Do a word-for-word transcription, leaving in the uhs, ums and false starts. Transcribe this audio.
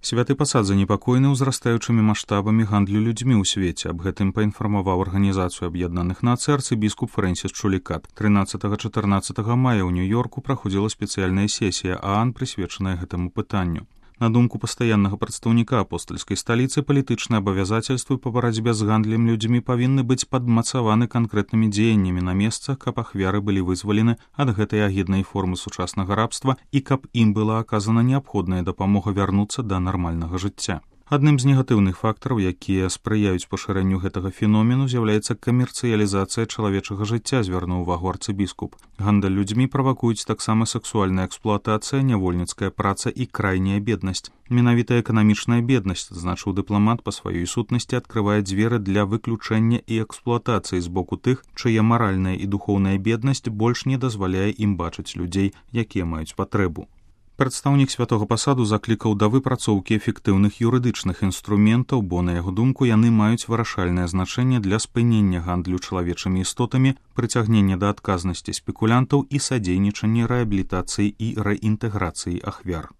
Святы пасад занепакоены ўзрастаючымі маштабамі гандлю людзьмі ў свеце. Аб гэтым паінфармаваў Арганізацыю Аб'яднаных Нацый арцыбіскуп Фрэнсіс Чулікат. трынаццатага-чатырнаццатага мая ў Нью-Йорку праходзіла спецыяльная сесія ААН, прысвечаная гэтаму пытанню. На думку пастаяннага прадстаўніка апостальскай сталіцы, палітычныя абавязацельствы па барацьбе з гандлем людзьмі павінны быць падмацаваны канкрэтнымі дзеяннямі на месцах, каб ахвяры былі вызвалены ад гэтай агіднай формы сучаснага рабства і каб ім была аказана неабходная дапамога вярнуцца да нармальнага жыцця. Адным з негатыўных фактараў, якія спрыяюць пашырэнню гэтага феномену, з'яўляецца камерцыялізацыя чалавечага жыцця, звярнуў увагу арцыбіскуп. Гандаль людзьмі правакуюць таксама сексуальная эксплуатацыя, нявольніцкая праца і крайняя беднасць. Менавіта эканамічная беднасць, значыў дыпламат, па сваёй сутнасці адкрывае дзверы для выключэння і эксплуатацыі з боку тых, чыя маральная і духоўная беднасць больш не дазваляе ім бачыць людзей, якія маюць патрэбу. Прадстаўнік святога пасаду заклікаў да выпрацоўкі эфектыўных юрыдычных інструментаў, бо, на яго думку, яны маюць вырашальнае значэнне для спынення гандлю чалавечымі істотамі, прыцягнення да адказнасці спекулянтаў і садзейнічання рэабілітацыі і рэінтэграцыі ахвяр.